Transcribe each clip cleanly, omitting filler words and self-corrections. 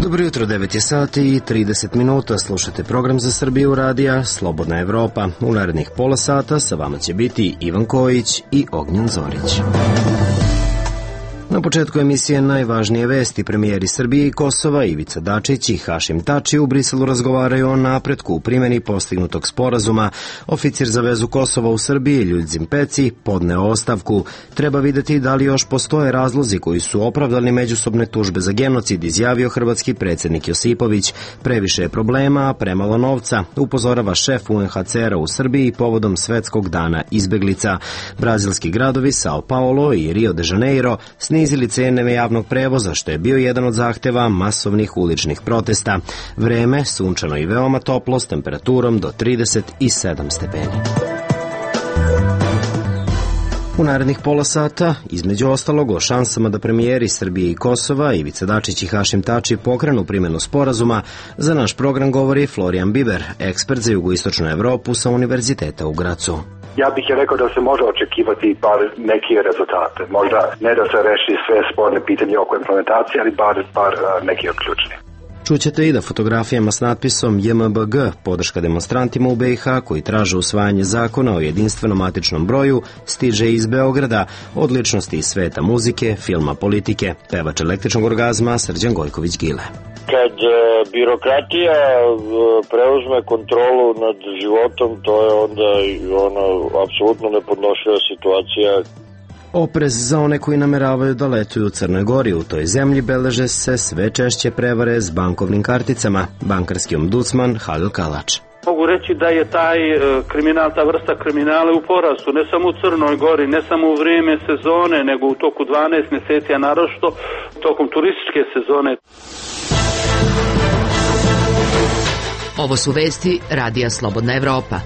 Dobro jutro, 9 je sati i 30 minuta. Slušate program za Srbiju radija Slobodna Evropa. U narednih pola sata sa vama će biti Ivan Kojić i Ognjen Zorić. Na početku emisije najvažnije vesti. Premijeri Srbije i Kosova Ivica Dačić i Hašim Tači u Briselu razgovaraju o napretku u primjeni postignutog sporazuma. Oficir za vezu Kosova u Srbiji Ljudžim Peci podneo ostavku. Treba videti da li još postoje razlozi koji su opravdani međusobne tužbe za genocid, izjavio hrvatski predsjednik Josipović. Previše je problema, a premalo novca, upozorava šef UNHCR-a u Srbiji povodom Svetskog dana izbeglica. Brazilski gradovi Sao Paulo i Rio de Janeiro snizili cene javnog prevoza, što je bio jedan od zahteva masovnih uličnih protesta. Vreme sunčano i veoma toplo s temperaturom do 37 stepeni. U narednih pola sata, između ostalog, o šansama da premijeri Srbije i Kosova Ivica Dačić i Hašim Tači pokrenu primjenu sporazuma, za naš program govori Florijan Biber, ekspert za jugoistočnu Evropu sa Univerziteta u Gracu. Ja bih je rekao da se može očekivati bar neke rezultate. Možda ne da se reši sve sporne pitanje oko implementacije, ali bar neki od ključnih. Čućete i da fotografijama s natpisom JMBG, podrška demonstrantima u BiH koji traže usvajanje zakona o jedinstvenom matičnom broju, stiže iz Beograda, od ličnosti iz sveta muzike, filma, politike, pevač električnog orgazma Srđan Gojković-Gile. Kad birokratija preuzme kontrolu nad životom, to je onda apsolutno nepodnošljiva situacija. Oprez za one koji nameravaju da letuju u Crnoj Gori. U toj zemlji beleže se sve češće prevare s bankovnim karticama. Bankarski ombudsman Halil Kalač. Mogu reći da je taj kriminal, ta vrsta kriminala u porastu, ne samo u Crnoj Gori, ne samo u vrijeme sezone, nego u toku 12 mjeseci, a naročito tokom turističke sezone. Ovo su vesti Radija Slobodna Evropa.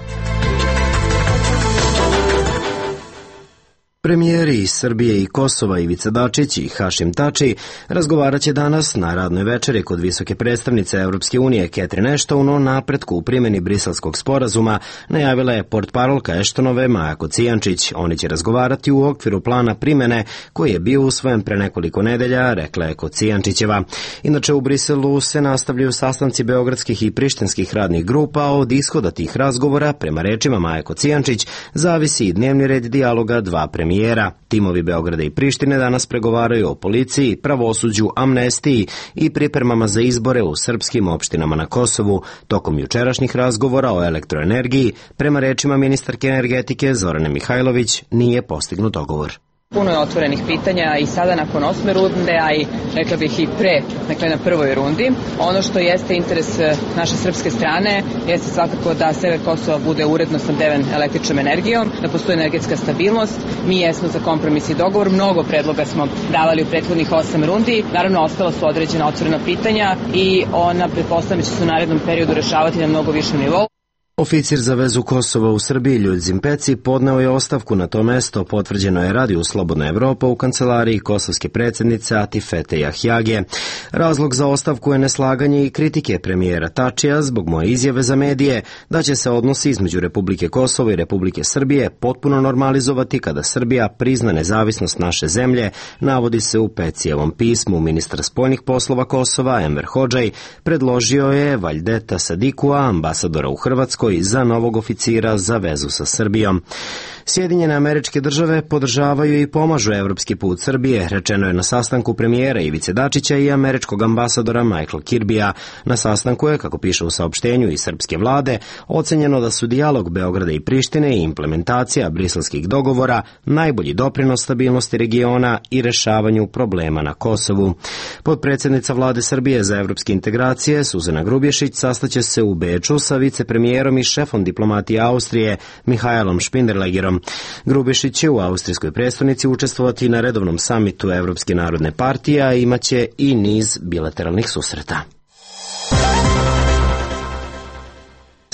Premijeri iz Srbije i Kosova Ivica Dačić i Hašim Tači razgovarat će danas na radnoj večeri kod visoke predstavnice Evropske unije Catherine Ashton o napretku u primjeni Briselskog sporazuma, najavila je portparolka Ashtonove Maja Kocijančić. Oni će razgovarati u okviru plana primjene koji je bio usvojen pre nekoliko nedelja, rekla je Kocijančićeva. Inače, u Briselu se nastavljaju sastanci beogradskih i prištinskih radnih grupa, a od ishoda tih razgovora, prema rečima Maje Kocijančić, zavisi i dnevni red dijaloga dva premijera. Timovi Beograda i Prištine danas pregovaraju o policiji, pravosuđu, amnestiji i pripremama za izbore u srpskim opštinama na Kosovu. Tokom jučerašnjih razgovora o elektroenergiji, prema rečima ministarke energetike Zorane Mihajlović, nije postignut dogovor. Puno je otvorenih pitanja i sada nakon 8. runde, a i rekla bih i pre, dakle na prvoj rundi. Ono što jeste interes naše srpske strane jeste svakako da sever Kosova bude uredno snabdeven električnom energijom, da postoji energetska stabilnost. Mi jesmo za kompromis i dogovor, mnogo predloga smo davali u prethodnih 8 rundi. Naravno, ostala su određena otvorena pitanja i ona pretpostavljam će se u narednom periodu rešavati na mnogo višem nivou. Oficir za vezu Kosova u Srbiji Ljudžim Peci podneo je ostavku na to mesto, potvrđeno je Radiju Slobodna Evropa u kancelariji kosovske predsjednice Atifete Jahjage. Razlog za ostavku je neslaganje i kritike premijera Tačija zbog moje izjave za medije da će se odnosi između Republike Kosovo i Republike Srbije potpuno normalizovati kada Srbija prizna nezavisnost naše zemlje, navodi se u Pecijevom pismu. Ministar spoljnih poslova Kosova Enver Hodžaj predložio je Vajdeta Sadikua, ambasadora u Hrvatskoj, za novog oficira za vezu sa Srbijom. Sjedinjene Američke Države podržavaju i pomažu evropski put Srbije, rečeno je na sastanku premijera Ivice Dačića i američkog ambasadora Michaela Kirbija. Na sastanku je, kako piše u saopštenju iz srpske vlade, ocenjeno da su dijalog Beograda i Prištine i implementacija briselskih dogovora najbolji doprinos stabilnosti regiona i rešavanju problema na Kosovu. Potpredsjednica vlade Srbije za evropske integracije Suzana Grubješić sastaće se u Beču sa vicepremijerom i šefom diplomatije Austrije Mihajlom Špinderlegerom. Grubješić će u austrijskoj prestonici učestvovati na redovnom samitu Evropske narodne partije, a imaće i niz bilateralnih susreta.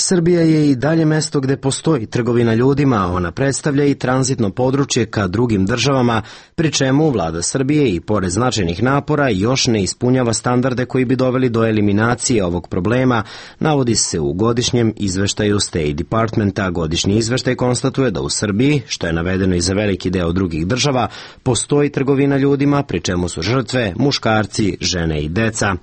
Srbija je i dalje mesto gde postoji trgovina ljudima, ona predstavlja i tranzitno područje ka drugim državama, pri čemu vlada Srbije i pored značajnih napora još ne ispunjava standarde koji bi doveli do eliminacije ovog problema, navodi se u godišnjem izveštaju State Departmenta. Godišnji izveštaj konstatuje da u Srbiji, što je navedeno i za veliki deo drugih država, postoji trgovina ljudima, pri čemu su žrtve muškarci, žene i deca.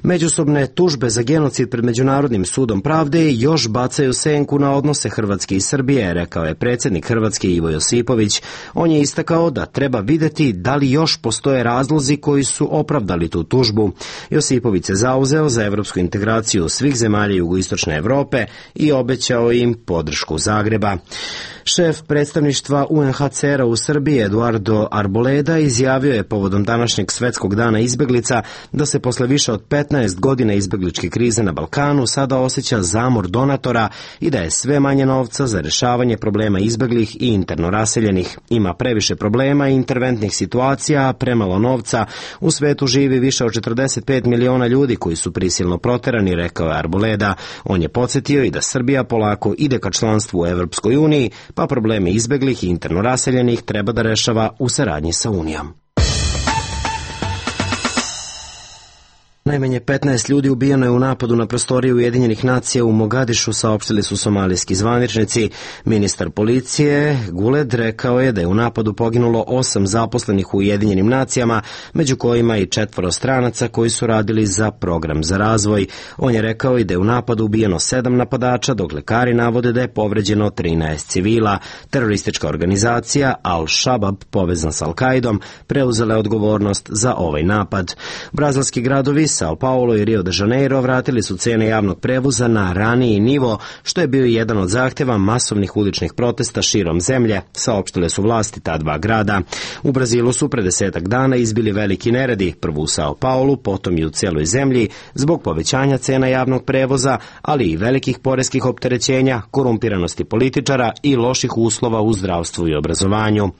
Međusobne tužbe za genocid pred Međunarodnim sudom pravde još bacaju senku na odnose Hrvatske i Srbije, rekao je predsjednik Hrvatske Ivo Josipović. On je istakao da treba videti da li još postoje razlozi koji su opravdali tu tužbu. Josipović se zauzeo za evropsku integraciju svih zemalja jugoistočne Evrope i obećao im podršku Zagreba. Šef predstavništva UNHCR-a u Srbiji Eduardo Arboleda izjavio je povodom današnjeg svetskog dana izbeglica da se posle više od 15 godina izbegličke krize na Balkanu sada osjeća zamor donatora i da je sve manje novca za rešavanje problema izbeglih i interno raseljenih. Ima previše problema i interventnih situacija, a premalo novca. U svetu živi više od 45 miliona ljudi koji su prisilno proterani, rekao je Arboleda. On je podsjetio i da Srbija polako ide ka članstvu u Evropskoj uniji, pa probleme izbeglih i interno raseljenih treba da rešava u saradnji sa Unijom. Najmanje 15 ljudi ubijeno je u napadu na prostoriju Ujedinjenih nacija u Mogadišu, saopštili su somalijski zvaničnici. Ministar policije Guled rekao je da je u napadu poginulo 8 zaposlenih u Ujedinjenim nacijama, među kojima i 4 stranaca koji su radili za program za razvoj. On je rekao i da je u napadu ubijeno 7 napadača, dok lekari navode da je povređeno 13 civila. Teroristička organizacija Al-Shabaab, povezan s Al-Kaidom, preuzela je odgovornost za ovaj napad. Brazilski gradovi Sao Paulo i Rio de Janeiro vratili su cene javnog prevoza na raniji nivo, što je bio jedan od zahteva masovnih uličnih protesta širom zemlje, saopštile su vlasti ta dva grada. U Brazilu su pre 10 dana izbili veliki neredi, prvo u Sao Paulu, potom i u celoj zemlji, zbog povećanja cena javnog prevoza, ali i velikih poreskih opterećenja, korumpiranosti političara i loših uslova u zdravstvu i obrazovanju.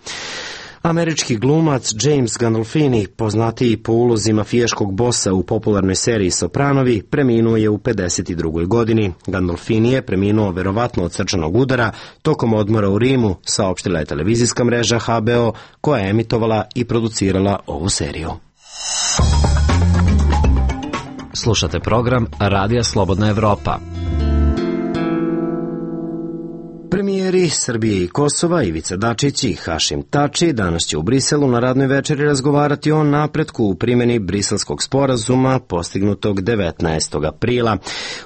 Američki glumac James Gandolfini, poznatiji po ulozi mafijaškog bosa u popularnoj seriji Sopranovi, preminuo je u 52. godini. Gandolfini je preminuo verovatno od srčanog udara tokom odmora u Rimu, saopštila je televizijska mreža HBO, koja je emitovala i producirala ovu seriju. Slušate program Radija Slobodna Evropa. Premijeri Srbije i Kosova Ivica Dačić i Hašim Tači danas će u Briselu na radnoj večeri razgovarati o napretku u primjeni Briselskog sporazuma postignutog 19. aprila.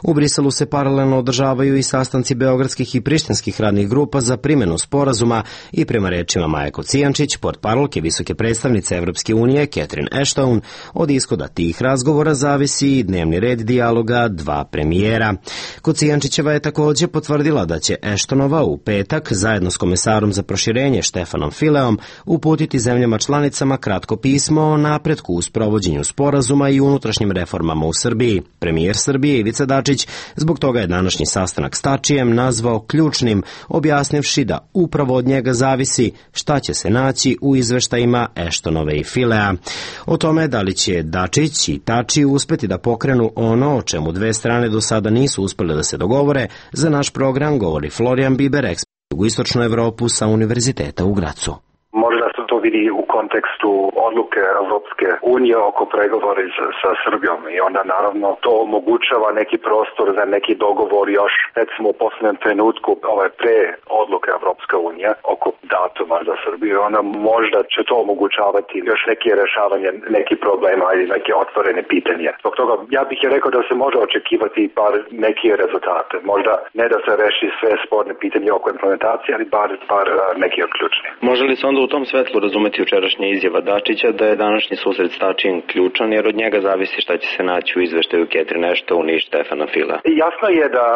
U Briselu se paralelno održavaju i sastanci beogradskih i prištinskih radnih grupa za primjenu sporazuma i prema rečima Maje Kocijančić, portparolke visoke predstavnice Evropske unije Catherine Ashton, od ishoda tih razgovora zavisi i dnevni red dijaloga dva premijera. Kocijančićeva je također potvrdila da će Ashtonova u petak zajedno s komesarom za proširenje Štefanom Fileom uputiti zemljama članicama kratko pismo o napretku u sprovođenju sporazuma i unutrašnjim reformama u Srbiji. Premijer Srbije Ivica Dačić zbog toga je današnji sastanak s Tačijem nazvao ključnim, objasnivši da upravo od njega zavisi šta će se naći u izveštajima Ashtonove i Filea. O tome da li će Dačić i Tači uspeti da pokrenu ono o čemu dve strane do sada nisu uspjele da se dogovore, za naš program govori Florian Biber, ekspert u jugoistočnu Evropu sa Univerziteta u Gracu. Možda se to vidi u kontekstu odluke Evropske unije oko pregovora sa Srbijom i onda naravno to omogućava neki prostor za neki dogovor još recimo u posljednjem trenutku pre odluke Evropske unije oko datuma za Srbiju i onda možda će to omogućavati još neke rešavanje nekih problema ili neke otvorene pitanje. Zbog toga ja bih je rekao da se može očekivati bar neke rezultate. Možda ne da se reši sve sporne pitanje oko implementacije, ali bar neki od ključni. Može li se onda u tom svetlu razumeti jučerašnja izjava Dačića da je današnji susret s Tačijem ključan, jer od njega zavisi šta će se naći u izveštaju Catherine Ashton i Štefana Filea? Jasno je da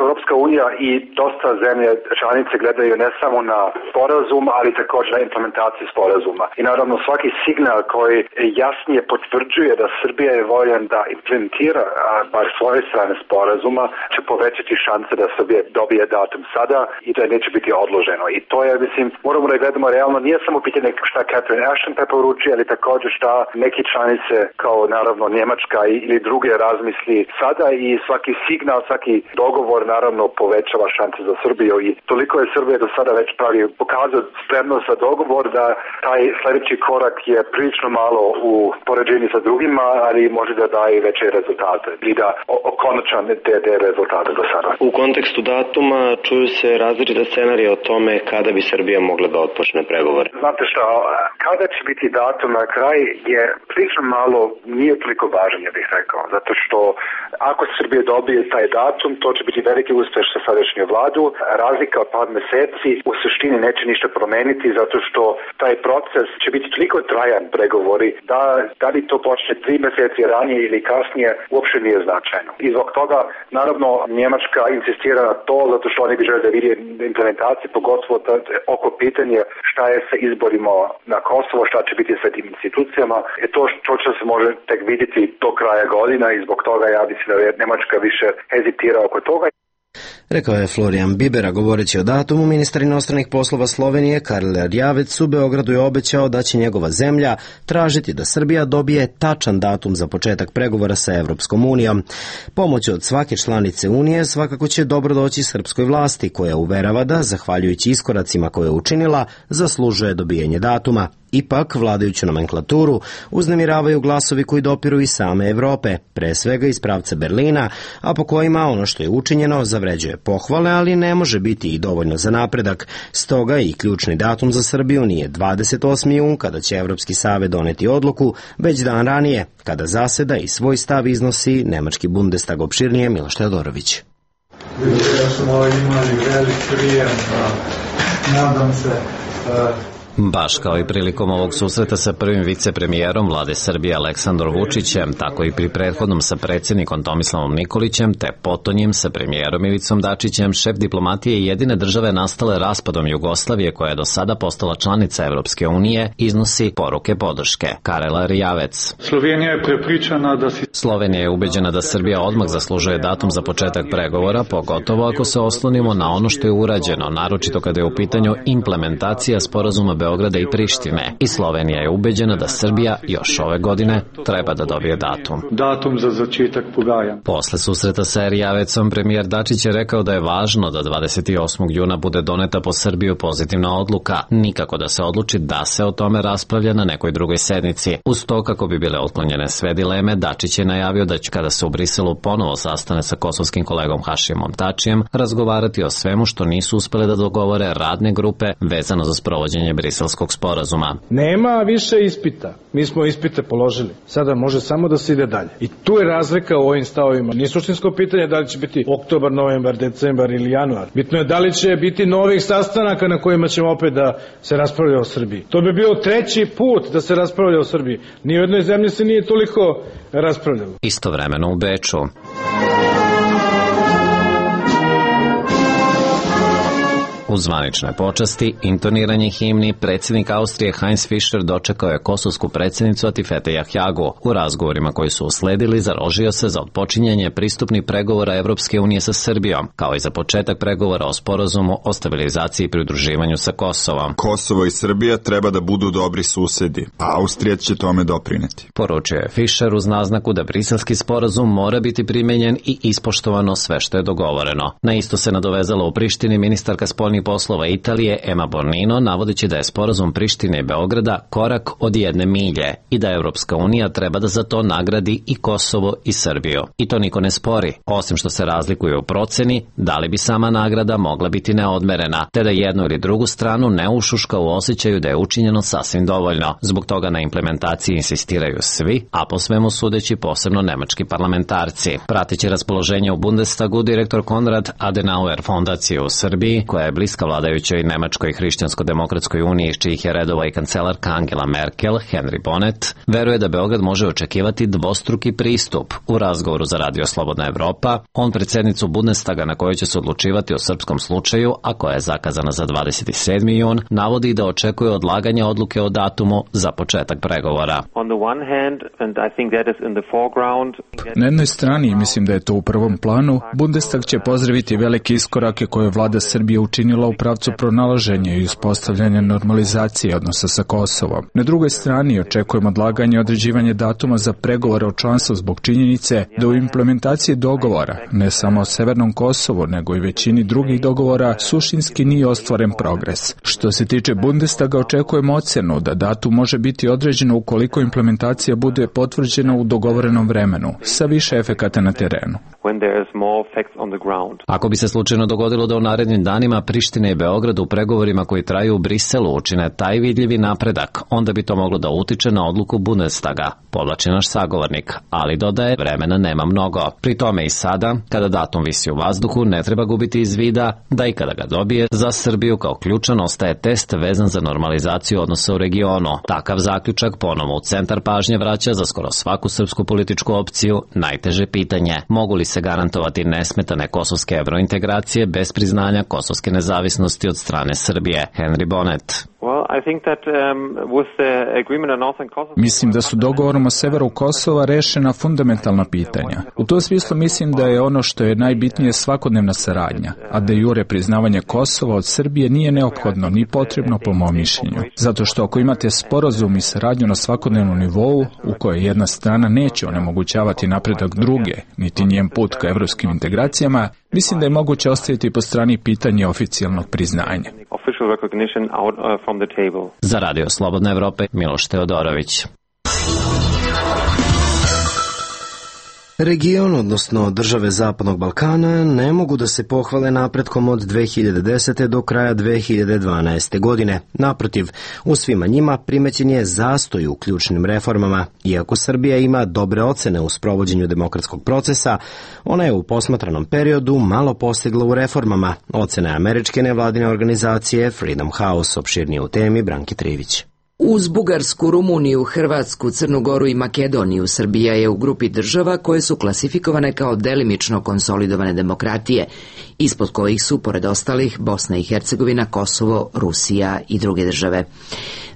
Europska unija i dosta zemlje članice gledaju ne samo na sporazum, ali također na implementaciju sporazuma. I naravno svaki signal koji jasnije potvrđuje da Srbija je voljan da implementira bar svoje strane sporazuma će povećati šanse da Srbija dobije datum sada i da neće biti odloženo. I to je, mislim, moramo da gledamo realno, nije samo pitanje šta Catherine Ashton preporuči, ali također šta neki članice kao naravno Njemačka ili druge razmisli sada, i svaki signal, svaki dogovor naravno povećava šanse za Srbiju, i toliko je Srbija do sada već pokazao spremnost za dogovor da taj sljedeći korak je prilično malo u poređenju sa drugima, ali može da daje veće rezultate i da konačan te rezultate do sada. U kontekstu datuma čuju se različite scenarije o tome kada bi Srbija mogla da otpočne pregovore. Znate šta, kada će biti datum na kraj je prilično malo, nije toliko važan, ja bih rekao, zato što ako Srbija dobije taj datum, to će biti veliki uspjeh sa sadašnju vladu. Razlika od par mjeseci u suštini neće ništa promeniti, zato što taj proces će biti toliko trajan pregovori da li to počne 3 mjeseci ranije ili kasnije uopće nije značajno. I zbog toga naravno Njemačka insistira na to, zato što oni bi žele da vidi implementaciju, pogotovo oko pitanje šta je sa izborima na Kosovo, šta će biti sa tim institucijama. To će se može tek vidjeti do kraja godina, i zbog toga ja mislim da je Njemačka više hezitira oko toga. Rekao je Florijan Bibera. Govoreći o datumu, ministar inostranih poslova Slovenije Karel Erjavec u Beogradu je obećao da će njegova zemlja tražiti da Srbija dobije tačan datum za početak pregovora sa Evropskom unijom. Pomoć od svake članice Unije svakako će dobro doći srpskoj vlasti, koja uverava da, zahvaljujući iskoracima koje je učinila, zaslužuje dobijanje datuma. Ipak, vladajuću nomenklaturu uznemiravaju glasovi koji dopiru iz same Evrope, pre svega iz pravca Berlina, a po kojima ono što je učinjeno zavređuje pohvale, ali ne može biti i dovoljno za napredak. Stoga i ključni datum za Srbiju nije 28. jun, kada će Evropski savet doneti odluku, već dan ranije, kada zaseda i svoj stav iznosi nemački Bundestag. Opširnije Miloš Teodorović. Da smo imali velik prijem, nadam se. Baš kao i prilikom ovog susreta sa prvim vicepremijerom vlade Srbije Aleksandrom Vučićem, tako i pri prethodnom sa predsjednikom Tomislavom Nikolićem, te potonjim sa premijerom Ivicom Dačićem, šef diplomatije jedine države nastale raspadom Jugoslavije, koja je do sada postala članica Evropske unije, iznosi poruke podrške. Karel Erjavec. Slovenija je ubeđena da Srbija odmah zaslužuje datum za početak pregovora, pogotovo ako se oslonimo na ono što je urađeno, naročito kada je u pitanju implementacija sporazuma Beograda i Prištine. I Slovenija je ubeđena da Srbija još ove godine treba da dobije datum za začetak pogajanj. Posle susreta sa Erjavecom, premijer Dačić je rekao da je važno da 28. juna bude doneta po Srbiju pozitivna odluka, nikako da se odluči da se o tome raspravlja na nekoj drugoj sednici. Uz to, kako bi bile otklonjene sve dileme, Dačić je najavio da će, kada se u Briselu ponovo sastane sa kosovskim kolegom Hašimom Tačijem, razgovarati o svemu što nisu uspele da dogovore radne grupe vezano za sprovođenje Briselskog sporazuma. Nema više ispita. Mi smo ispite položili. Sada može samo da se ide dalje. I tu je razlika u ovim stavovima. Nije suštinsko pitanje da li će biti oktobar, novembar, decembar ili januar. Bitno je da li će biti novih sastanaka na kojima ćemo opet da se raspravlja o Srbiji. To bi bio treći put da se raspravlja o Srbiji. Ni u jednoj zemlji se nije toliko raspravljalo. Istovremeno u Beču. U zvaničnoj počasti, intoniranje himni, predsjednik Austrije Heinz Fischer dočekao je kosovsku predsjednicu Atifete Jahjagu. U razgovorima koji su usledili, založio se za otpočinjanje pristupnih pregovora Evropske unije sa Srbijom, kao i za početak pregovora o sporazumu o stabilizaciji i pridruživanju sa Kosovom. Kosovo i Srbija treba da budu dobri susedi, a Austrija će tome doprineti. Poručio je Fischer uz naznaku da briselski sporazum mora biti primenjen i ispoštovano sve što je dogovoreno. Na isto se nadovezala u Prištini ministarka spoljnih poslova Italije Emma Bonino, navodeći da je sporazum Prištine i Beograda korak od 1 milje i da Evropska unija treba da za to nagradi i Kosovo i Srbiju. I to niko ne spori, osim što se razlikuje u proceni da li bi sama nagrada mogla biti neodmerena, te da jednu ili drugu stranu ne ušuška u osjećaju da je učinjeno sasvim dovoljno. Zbog toga na implementaciji insistiraju svi, a po svemu sudeći posebno nemački parlamentarci. Prateći raspoloženje u Bundestagu, direktor Konrad Adenauer fondacije u Srbiji, koja je bliska vladajućoj Nemačkoj hrišćansko-demokratskoj uniji, iz čijih je redova i kancelarka Angela Merkel, Henry Bonnet, veruje da Beograd može očekivati dvostruki pristup. U razgovoru za Radio Slobodna Evropa, on predsjednicu Bundestaga, na kojoj će se odlučivati o srpskom slučaju, a koja je zakazana za 27. jun, navodi da očekuje odlaganje odluke o datumu za početak pregovora. Na jednoj strani, mislim da je to u prvom planu, Bundestag će pozdraviti velike iskorake koje je vlada Srbije učinila krenula u pravcu pronalaženja i uspostavljanja normalizacije odnosa sa Kosovom. Na drugoj strani očekujemo odlaganje i određivanje datuma za pregovore o članstvu zbog činjenice da u implementaciji dogovora, ne samo o Severnom Kosovu, nego i većini drugih dogovora, suštinski nije ostvaren progres. Što se tiče Bundestaga, očekujemo ocjenu da datum može biti određeno ukoliko implementacija bude potvrđena u dogovorenom vremenu, sa više efekata na terenu. Ako bi se slučajno dogodilo da u narednim danima Priština i Beograd u pregovorima koji traju u Briselu učine taj vidljivi napredak, onda bi to moglo da utiče na odluku Bundestaga, podvlači naš sagovornik, ali dodaje vremena nema mnogo. Pri tome i sada, kada datum visi u vazduhu, ne treba gubiti iz vida da i kada ga dobije, za Srbiju kao ključan ostaje test vezan za normalizaciju odnosa u regionu. Takav zaključak ponovo u centar pažnje vraća za skoro svaku srpsku političku opciju najteže pitanje: mogu li se garantovati nesmetane kosovske evrointegracije bez priznanja kosovske nezavisnosti od strane Srbije? Henry Bonnet. Mislim da su dogovorom o severu Kosova rešena fundamentalna pitanja. U tom smislu mislim da je ono što je najbitnije svakodnevna saradnja, a de jure priznavanje Kosova od Srbije nije neophodno ni potrebno po mom mišljenju. Zato što ako imate sporazum i saradnju na svakodnevnom nivou, u kojoj jedna strana neće onemogućavati napredak druge, niti njen put ka evropskim integracijama, mislim da je moguće ostaviti po strani pitanje oficijalnog priznanja. Za Radio Slobodne Evrope, Miloš Teodorović. Region, odnosno države Zapadnog Balkana, ne mogu da se pohvale napretkom od 2010. do kraja 2012. godine. Naprotiv, u svima njima primećen je zastoj u ključnim reformama. Iako Srbija ima dobre ocene u sprovođenju demokratskog procesa, ona je u posmatranom periodu malo postigla u reformama. Ocene američke nevladine organizacije Freedom House, opširnije u temi Branki Trivić. Uz Bugarsku, Rumuniju, Hrvatsku, Crnu Goru i Makedoniju, Srbija je u grupi država koje su klasifikovane kao delimično konsolidovane demokratije, ispod kojih su, pored ostalih, Bosna i Hercegovina, Kosovo, Rusija i druge države.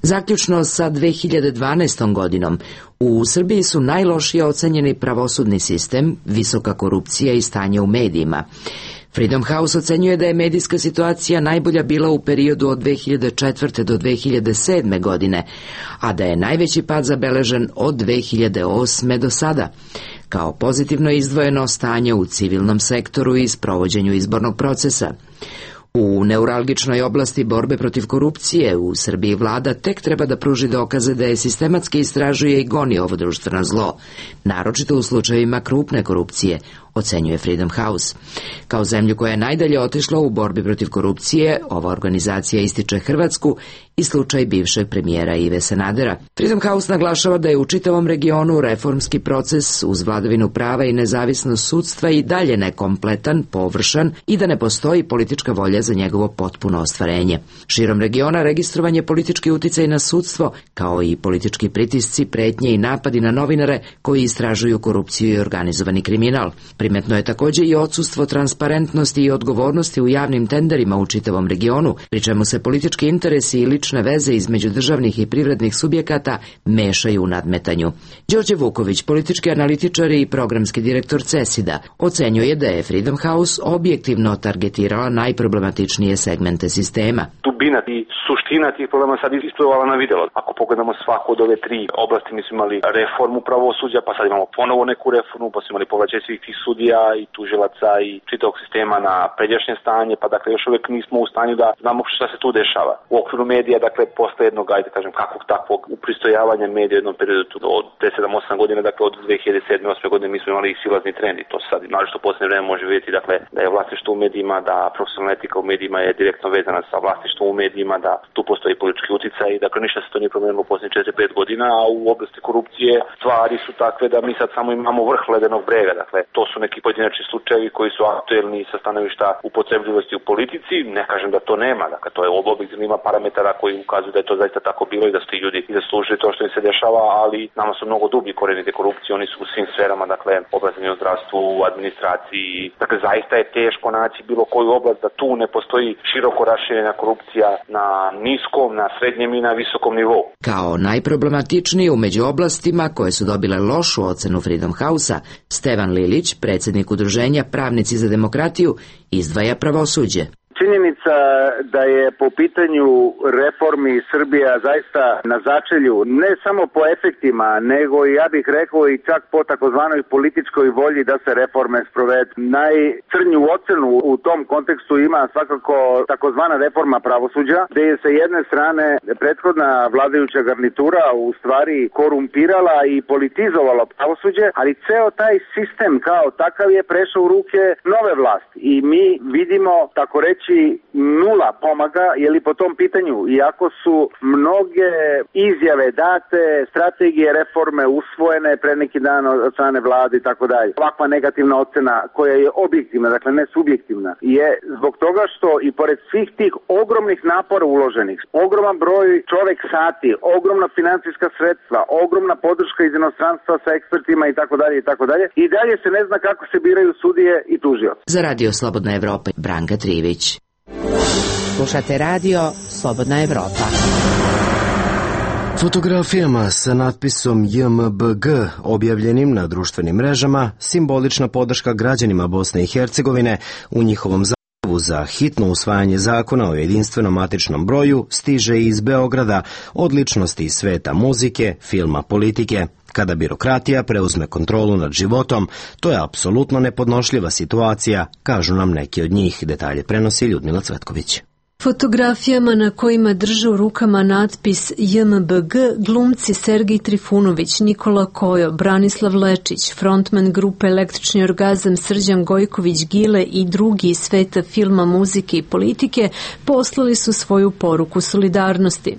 Zaključno sa 2012. godinom, u Srbiji su najlošije ocenjeni pravosudni sistem, visoka korupcija i stanje u medijima. Freedom House ocenjuje da je medijska situacija najbolja bila u periodu od 2004. do 2007. godine, a da je najveći pad zabeležen od 2008. do sada. Kao pozitivno izdvojeno stanje u civilnom sektoru i sprovođenju izbornog procesa. U neuralgičnoj oblasti borbe protiv korupcije u Srbiji vlada tek treba da pruži dokaze da je sistematski istražuje i goni ovo društveno zlo, naročito u slučajevima krupne korupcije, ocenjuje Freedom House. Kao zemlju koja je najdalje otišla u borbi protiv korupcije, ova organizacija ističe Hrvatsku i slučaj bivšeg premijera Ive Sanadera. Freedom House naglašava da je u čitavom regionu reformski proces uz vladavinu prava i nezavisnost sudstva i dalje nekompletan, površan i da ne postoji politička volja za njegovo potpuno ostvarenje. Širom regiona registrovan je politički uticaj na sudstvo, kao i politički pritisci, pretnje i napadi na novinare koji istražuju korupciju i organizovani kriminal. Primetno je također i odsustvo transparentnosti i odgovornosti u javnim tenderima u čitavom regionu, pri čemu se politički interesi i lične veze između državnih i privrednih subjekata mešaju u nadmetanju. Đorđe Vuković, politički analitičar i programski direktor CESID-a, ocenjuje da je Freedom House objektivno targetirala najproblematičnije segmente sistema. Dubina i suština tih problema sad isplivala na videlo. Ako pogledamo svaku od ove tri oblasti, mi smo imali reformu pravosuđa, pa sad imamo ponovo neku reformu, pa smo imali povraćaj svih tih sudija i tužilaca i čitavog sistema na pređašnje stanje, pa dakle još uvek nismo u stanju da znamo šta se tu dešava. U okviru medija, dakle, postoje jednog, ajde kažem, kakvog takvog upristojavanja medija u jednom periodu od 7-8 godina, dakle od 2007-2008 godine mi smo imali i silazni trend i to se sad, naročito u posljednje vreme može vidjeti, dakle, da je vlasništvo u medijima, da profesionalna etika u medijima je direktno vezana sa vlasništvom u medijima, da tu postoji politički uticaj i dakle ništa se to nije promenilo u posljednjih 4-5 godina, a u oblasti korupcije stvari su takve da mi sad samo imamo vrh ledenog brega, dakle, to su neki pojedinačni slučajevi koji su aktuelni sa stanovišta upotrebljivosti u politici, ne kažem da to nema, dakle, to je objektivno, ima parametara koji ukazuju da je to zaista tako bilo i da su ti ljudi zaslužili to što im se dešava, ali nama su mnogo dublji koreni te korupcije, oni su u svim sferama, dakle, obrazovanju, zdravstvu, administraciji, dakle, zaista je teško naći bilo koju oblast da tu ne postoji široko raširena korupcija na niskom, na srednjem i na visokom nivou. Kao najproblematičniji među oblastima koje su dobile lošu ocenu Freedom House-a, Stevan Lilić, predsjednik udruženja Pravnici za demokratiju, izdvaja pravosuđe. činjenica da je po pitanju reformi Srbija zaista na začelju, ne samo po efektima, nego ja bih rekao i čak po takozvanoj političkoj volji da se reforme sprovedu. Najcrnju ocenu u tom kontekstu ima svakako takozvana reforma pravosuđa, gde je sa jedne strane prethodna vladajuća garnitura u stvari korumpirala i politizovala pravosuđe, ali ceo taj sistem kao takav je prešao u ruke nove vlasti i mi vidimo, tako reći, nula pomaga, jeli po tom pitanju, iako su mnoge izjave date, strategije reforme usvojene pre neki dan od strane vlade i tako dalje. Ovakva negativna ocena koja je objektivna, dakle ne subjektivna, je zbog toga što i pored svih tih ogromnih napora uloženih, ogroman broj čovek sati, ogromna financijska sredstva, ogromna podrška iz inostranstva sa ekspertima i tako dalje, i dalje se ne zna kako se biraju sudije i tužioci. Za Radio Slobodna Evropa, Branka Trivić. Slušate Radio Slobodna Evropa. Fotografijama sa natpisom JMBG objavljenim na društvenim mrežama simbolična podrška građanima Bosne i Hercegovine u njihovom zahtevu za hitno usvajanje zakona o jedinstvenom matičnom broju stiže iz Beograda od ličnosti iz sveta muzike, filma, politike. Kada birokratija preuzme kontrolu nad životom, to je apsolutno nepodnošljiva situacija, kažu nam neki od njih. Detalje prenosi Ljudmila Cvetković. Fotografijama na kojima drže u rukama natpis JMBG glumci Sergij Trifunović, Nikola Kojo, Branislav Lečić, frontman grupe Električni orgazam Srđan Gojković Gile i drugi iz sveta filma, muzike i politike poslali su svoju poruku solidarnosti.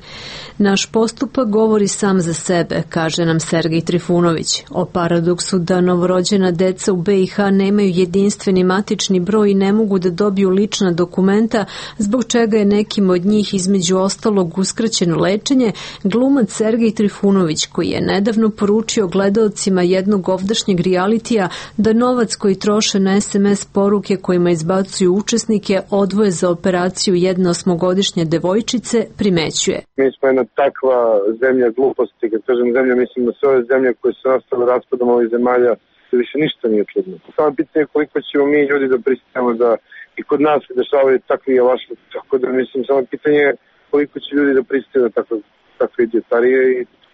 Naš postupak govori sam za sebe, kaže nam Sergij Trifunović. O paradoksu da novorođena deca u BiH nemaju jedinstveni matični broj i ne mogu da dobiju lična dokumenta, zbog čega je nekim od njih između ostalog uskraćeno lečenje, glumac Sergij Trifunović, koji je nedavno poručio gledaocima jednog ovdašnjeg realitija da novac koji troše na SMS poruke kojima izbacuju učesnike odvoje za operaciju jedne 8-godišnje devojčice, primećuje. Mi smo jedna takva zemlja gluposti, kad kažem zemlja, mislim da sve ove zemlje koje su nastale raspadom ovih zemalja, da više ništa nije čudno. Samo pitanje koliko ćemo mi ljudi da pristajemo da i kod nas se dešavaju takvi javašli, tako da mislim, samo pitanje je koliko će ljudi da pristaju da takve idiotarije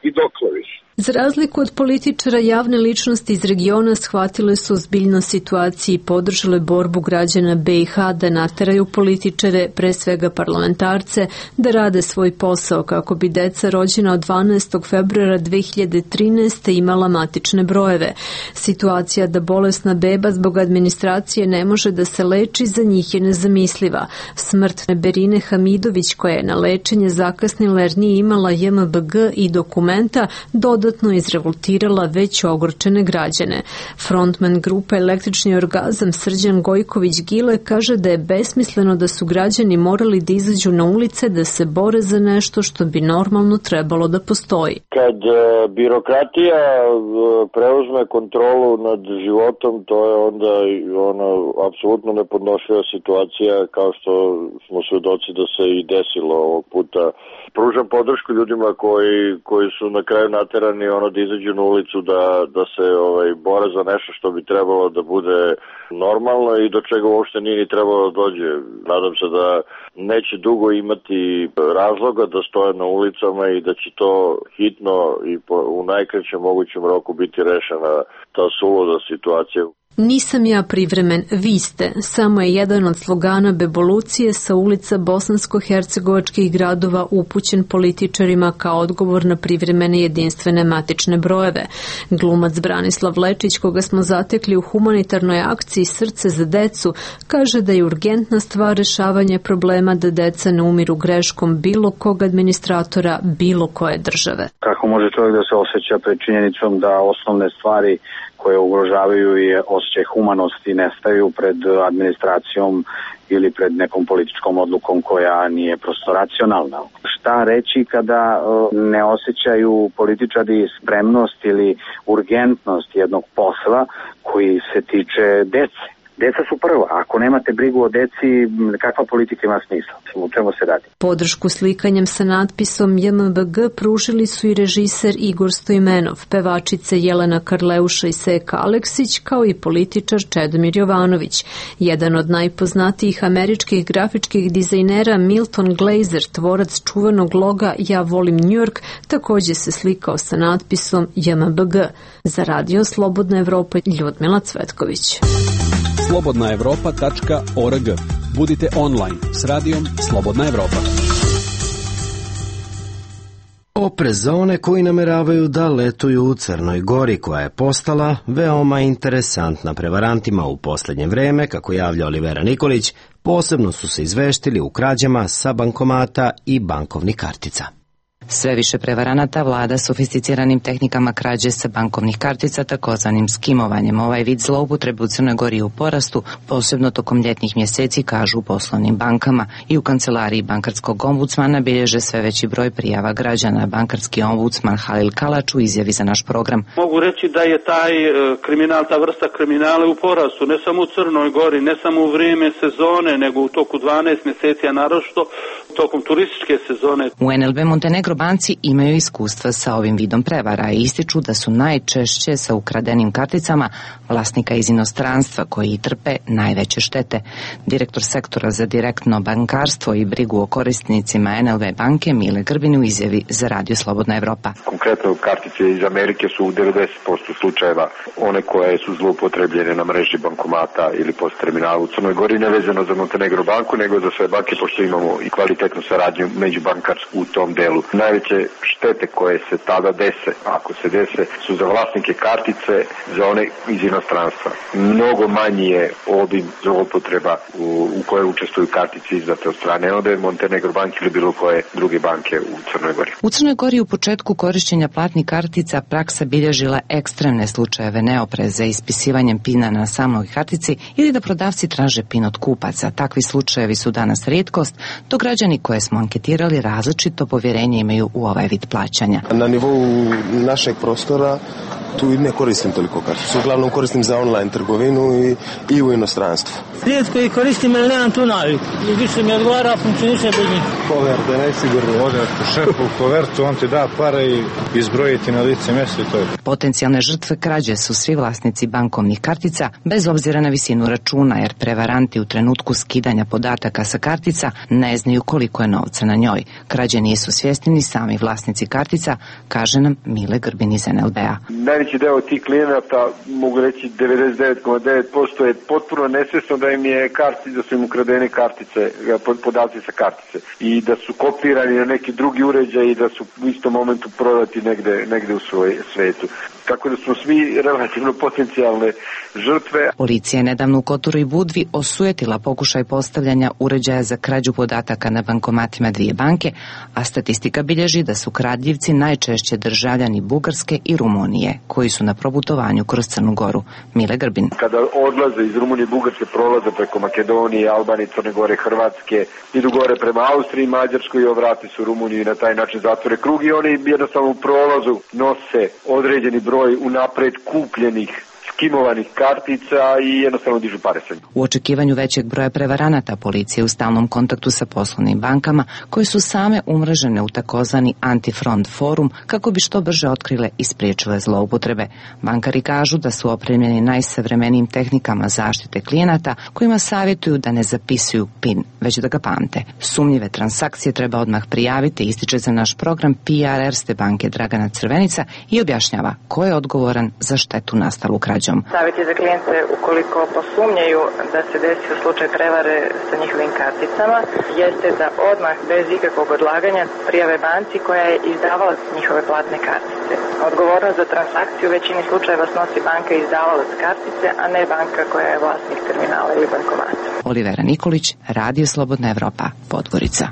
i dokle više. Za razliku od političara, javne ličnosti iz regiona shvatile su ozbiljno situaciju i podržale borbu građana BiH da nateraju političare, pre svega parlamentarce, da rade svoj posao kako bi deca rođena od 12. februara 2013. imala matične brojeve. Situacija da bolesna beba zbog administracije ne može da se leči za njih je nezamisliva. Smrt Berine Hamidović, koja je na lečenje zakasnila jer nije imala JMBG i dokumenta, dodatno izrevoltirala već ogorčene građane. Frontman grupe Električni orgazam Srđan Gojković Gile kaže da je besmisleno da su građani morali da izađu na ulice da se bore za nešto što bi normalno trebalo da postoji. Kad birokratija preuzme kontrolu nad životom, to je onda apsolutno nepodnošljiva situacija, kao što smo svedoci da se i desilo ovog puta. Pružam podršku ljudima koji su na kraju naterani da izađu na ulicu da se bore za nešto što bi trebalo da bude normalno i do čega uopšte nije ni trebalo da dođe. Nadam se da neće dugo imati razloga da stoje na ulicama i da će to hitno i u najkraćem mogućem roku biti rešena ta suluda situacija. Nisam ja privremen, vi ste, samo je jedan od slogana Bevolucije sa ulica bosansko-hercegovačkih gradova upućen političarima kao odgovor na privremene jedinstvene matične brojeve. Glumac Branislav Lečić, koga smo zatekli u humanitarnoj akciji Srce za decu, kaže da je urgentna stvar rešavanje problema da deca ne umiru greškom bilo kog administratora, bilo koje države. Kako može čovjek da se osjeća pred činjenicom da osnovne stvari koje ugrožavaju i osjećaj humanosti nestaju pred administracijom ili pred nekom političkom odlukom koja nije prosto racionalna. Šta reći kada ne osjećaju političari spremnost ili urgentnost jednog posla koji se tiče dece? Deca su prva. Ako nemate brigu o deci, kakva politika ima smisla? U čemu se radi? Podršku slikanjem sa natpisom JMBG pružili su i režiser Igor Stojmenov, pevačice Jelena Karleuša i Seka Aleksić, kao i političar Čedomir Jovanović. Jedan od najpoznatijih američkih grafičkih dizajnera Milton Glaser, tvorac čuvenog loga Ja volim New York, takođe se slikao sa natpisom JMBG. Za Radio Slobodna Evropa, Ljudmila Cvetković. slobodnaevropa.org. Budite online s radijom Slobodna Evropa. Oprez za one koji nameravaju da letuju u Crnoj Gori, koja je postala veoma interesantna prevarantima u poslednje vreme, kako javlja Olivera Nikolić, posebno su se izveštili u krađama sa bankomata i bankovnih kartica. Sve više prevaranata vlada sofisticiranim tehnikama krađe sa bankovnih kartica, takozvanim skimovanjem. Ovaj vid zloupotrebe u Crnoj Gori je u porastu, posebno tokom ljetnih mjeseci, kažu u poslovnim bankama. I u kancelariji bankarskog ombudsmana bilježe sve veći broj prijava građana. Bankarski ombudsman Halil Kalač u izjavi za naš program. Mogu reći da je taj kriminal, ta vrsta kriminala u porastu, ne samo u Crnoj Gori, ne samo u vrijeme sezone, nego u toku 12 mjeseci, a naročito tokom turističke sezone. U NLB Montenegro banci imaju iskustva sa ovim vidom prevara i ističu da su najčešće sa ukradenim karticama vlasnika iz inostranstva koji trpe najveće štete. Direktor sektora za direktno bankarstvo i brigu o korisnicima NLB banke Mile Grbin u izjavi za Radio Slobodna Evropa. Konkretno kartice iz Amerike su u 90% slučajeva one koje su zloupotrebljene na mreži bankomata ili post terminalu u Crnoj Gori, nevezano za Montenegro banku, nego za sve banke, pošto imamo i kvalitetnu saradnju međubankarsku u tom delu. Najveće štete koje se tada dese, ako se dese, su za vlasnike kartice, za one iz inostranstva. Mnogo manji je obim zloupotreba u koje učestvuju kartice izdate od strane NLB, Montenegro banke ili bilo koje druge banke u Crnoj Gori. U Crnoj Gori u početku korišćenja platnih kartica praksa bilježila ekstremne slučajeve neopreze ispisivanjem pina na samoj kartici ili da prodavci traže pin od kupaca. Takvi slučajevi su danas rijetkost, dok građani koje smo anketirali različito povjerenje imaju u ovaj vid plaćanja. Na nivou našeg prostora tu ne koristim toliko karticu. Uglavnom koristim za online trgovinu i u inostranstvu. Rijetko ih koristim, ali nemam tu naviku. Više mi odgovara, funkcioniše bez njih. Koverte, najsigurnije. Odete šefu u kovertu, on ti da para i izbrojiti na lice mjesta i to je. Potencijalne žrtve krađe su svi vlasnici bankovnih kartica, bez obzira na visinu računa, jer prevaranti u trenutku skidanja podataka sa kartica ne znaju koliko je novca na njoj. Krađe nisu svjesni ni sami vlasnici kartica, kaže nam Mile Grbin iz NLB-a. Najveći deo tih klijenata, mogu reći 99,9% je potpuno nesvjesno da im je da su im ukradene kartice, podaci sa kartice i da su kopirani na neki drugi uređaj i da su u istom momentu prodati negde u svetu. Tako da smo svi relativno potencijalne žrtve. Policija je nedavno u Kotoru i Budvi osujetila pokušaj postavljanja uređaja za krađu podataka na bankomatima dvije banke, a statistika bilježi da su kradljivci najčešće državljani Bugarske i Rumunije, koji su na probutovanju kroz Crnu Goru. Mile Grbin. Kada odlaze iz Rumunije i Bugarske, prolaze preko Makedonije, Albanije, Crne Gore, Hrvatske, idu gore prema Austriji, Mađarskoj i ovrati su Rumuniju i na taj način zatvore krug i oni jednostavno u prolazu nose određeni broj unapred kupljenih skimovanih kartica i jednostavno dižu pare sa njim. U očekivanju većeg broja prevaranata policija je u stalnom kontaktu sa poslovnim bankama koje su same umrežene u takozvani antifront forum kako bi što brže otkrile i spriječile zloupotrebe. Bankari kažu da su opremljeni najsavremenijim tehnikama zaštite klijenata kojima savjetuju da ne zapisuju PIN, već da ga pamte. Sumnjive transakcije treba odmah prijaviti, ističe za naš program PR Erste banke Dragana Crvenica i objašnjava ko je odgovoran za štetu nastalu krađom. Savjet je za klijente ukoliko posumnjaju da se desio slučaj prevare sa njihovim karticama, jeste da odmah bez ikakvog odlaganja prijave banci koja je izdavalac njihove platne kartice. Odgovornost za transakciju u većini slučajeva snosi banka izdavalac kartice, a ne banka koja je vlasnik terminala ili bankomata. Olivera Nikolić, Radio Slobodna Evropa, Podgorica.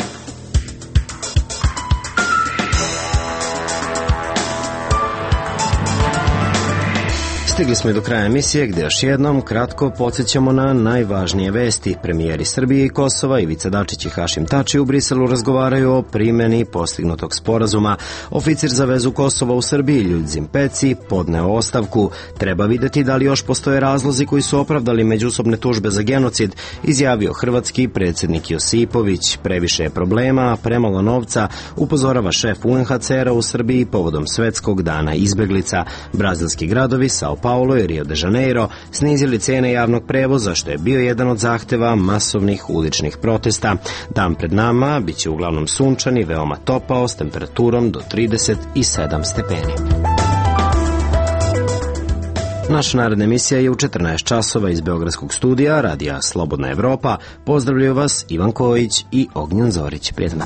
Stigli smo i do kraja emisije gde još jednom kratko podsjećamo na najvažnije vesti. Premijeri Srbije i Kosova Ivica Dačić i Hašim Tači u Briselu razgovaraju o primjeni postignutog sporazuma. Oficir za vezu Kosova u Srbiji Ljudzim Peci podneo ostavku. Treba videti da li još postoje razlozi koji su opravdali međusobne tužbe za genocid, izjavio hrvatski predsjednik Josipović. Previše je problema, premalo novca, upozorava šef UNHCR-a u Srbiji povodom Svetskog dana izbeglica. Brazilski gradovi Sao Paulo i Rio de Janeiro snizili cene javnog prevoza, što je bio jedan od zahteva masovnih uličnih protesta. Dan pred nama biće uglavnom sunčan i veoma topao s temperaturom do 37 stepeni. Naša naredna emisija je u 14 časova iz Beogradskog studija Radija Slobodna Evropa. Pozdravljaju vas Ivan Kojić i Ognjen Zorić. Prijetno.